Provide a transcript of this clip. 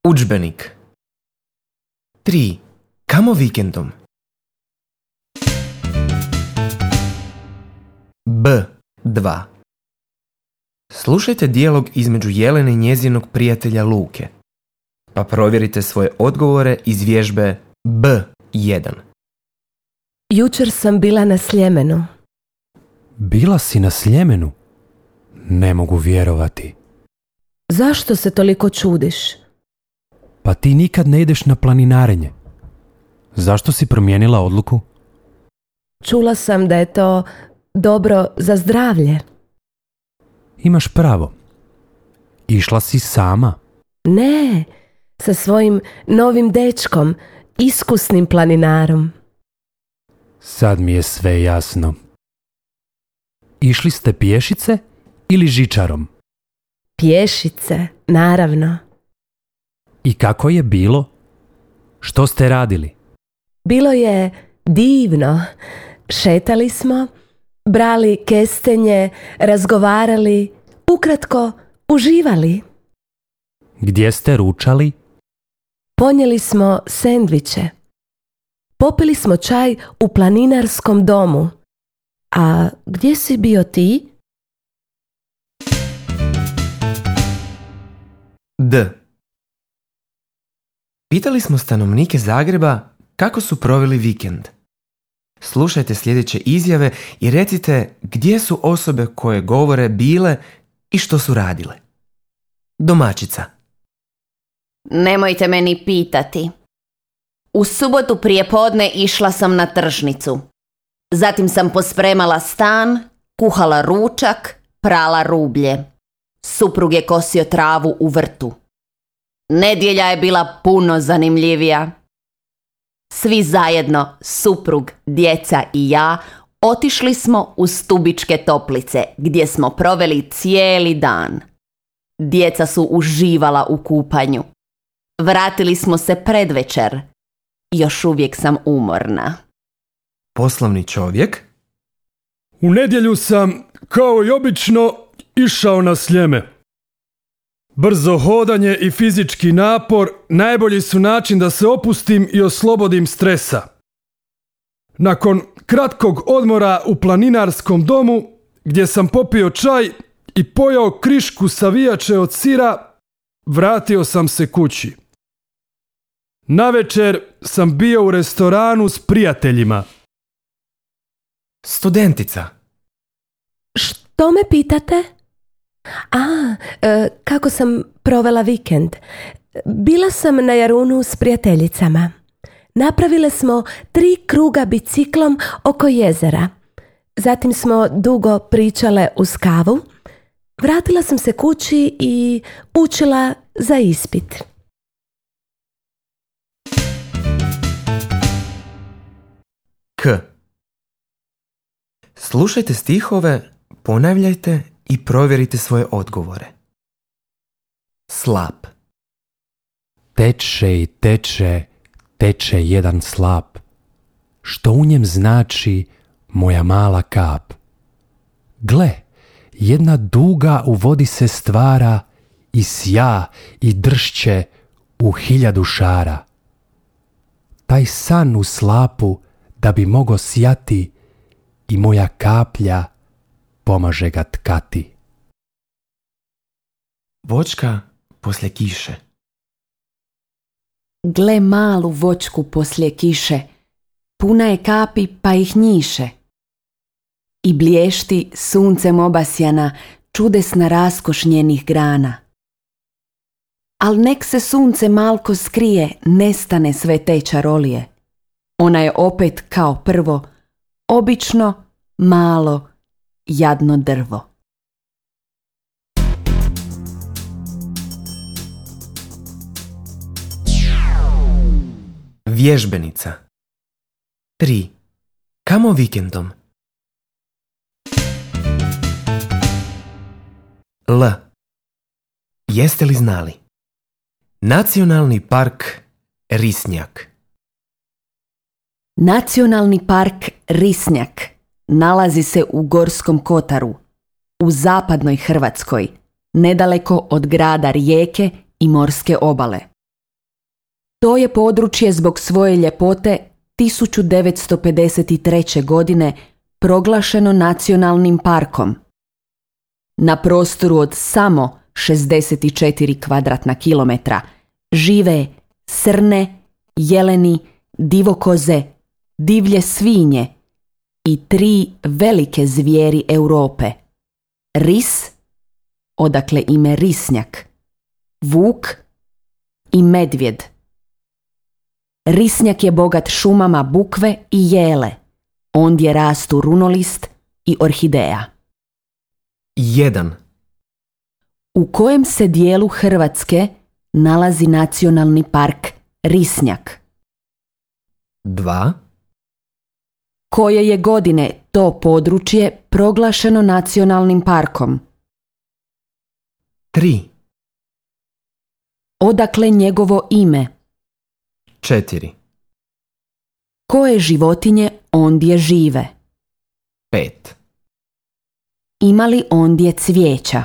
Udžbenik. 3. Kamo vikendom? B2. Slušajte dijalog između Jelene i njezinog prijatelja Luke, pa provjerite svoje odgovore iz vježbe B1. Jučer sam bila na Sljemenu. Bila si na Sljemenu? Ne mogu vjerovati. Zašto se toliko čudiš? Pa ti nikad ne ideš na planinarenje. Zašto si promijenila odluku? Čula sam da je to dobro za zdravlje. Imaš pravo. Išla si sama? Ne, sa svojim novim dečkom, iskusnim planinarom. Sad mi je sve jasno. Išli ste pješice ili žičarom? Pješice, naravno. I kako je bilo? Što ste radili? Bilo je divno. Šetali smo, brali kestenje, razgovarali, ukratko uživali. Gdje ste ručali? Ponijeli smo sendviče. Popili smo čaj u planinarskom domu. A gdje si bio ti? D. Pitali smo stanovnike Zagreba kako su proveli vikend. Slušajte sljedeće izjave i recite gdje su osobe koje govore bile i što su radile. Domaćica. Nemojte me ni pitati. U subotu prijepodne išla sam na tržnicu. Zatim sam pospremala stan, kuhala ručak, prala rublje. Suprug je kosio travu u vrtu. Nedjelja je bila puno zanimljivija. Svi zajedno, suprug, djeca i ja, otišli smo u Stubičke toplice, gdje smo proveli cijeli dan. Djeca su uživala u kupanju. Vratili smo se predvečer. Još uvijek sam umorna. Poslovni čovjek. U nedjelju sam, kao i obično, išao na Sljeme. Brzo hodanje i fizički napor najbolji su način da se opustim i oslobodim stresa. Nakon kratkog odmora u planinarskom domu, gdje sam popio čaj i pojao krišku savijače od sira, vratio sam se kući. Navečer sam bio u restoranu s prijateljima. Studentica. Što me pitate? Kako sam provela vikend? Bila sam na Jarunu s prijateljicama. Napravile smo 3 kruga biciklom oko jezera. Zatim smo dugo pričale uz kavu. Vratila sam se kući i učila za ispit. K. Slušajte stihove, ponavljajte i provjerite svoje odgovore. Slap. Teče i teče, teče jedan slap. Što u njem znači moja mala kap? Gle, jedna duga u vodi se stvara i sja i dršće u 1000 šara. Taj san u slapu da bi mogo sjati i moja kaplja pomaže ga tkati. Voćka poslije kiše. Gle malu voćku poslije kiše, puna je kapi pa ih njiše. I blješti suncem obasjana, čudesna raskoš njenih grana. Al nek se sunce malko skrije, nestane sve te čarolije. Ona je opet kao prvo, obično, malo, jadno drvo. Vježbenica. 3. Kamo vikendom? L. Jeste li znali? Nacionalni park Risnjak. Nacionalni park Risnjak nalazi se u Gorskom kotaru, u zapadnoj Hrvatskoj, nedaleko od grada Rijeke i morske obale. To je područje zbog svoje ljepote 1953. godine proglašeno nacionalnim parkom. Na prostoru od samo 64 kvadratna kilometra žive srne, jeleni, divokoze, divlje svinje i 3 velike zvijeri Europe. Ris, odakle ime risnjak, vuk i medvjed. Risnjak je bogat šumama bukve i jele. Ondje rastu runolist i orhideja. 1, U kojem se dijelu Hrvatske nalazi nacionalni park Risnjak? 2, Koje je godine to područje proglašeno nacionalnim parkom? 3, Odakle njegovo ime? 4, Koje životinje ondje žive? 5. Ima li ondje cvijeća?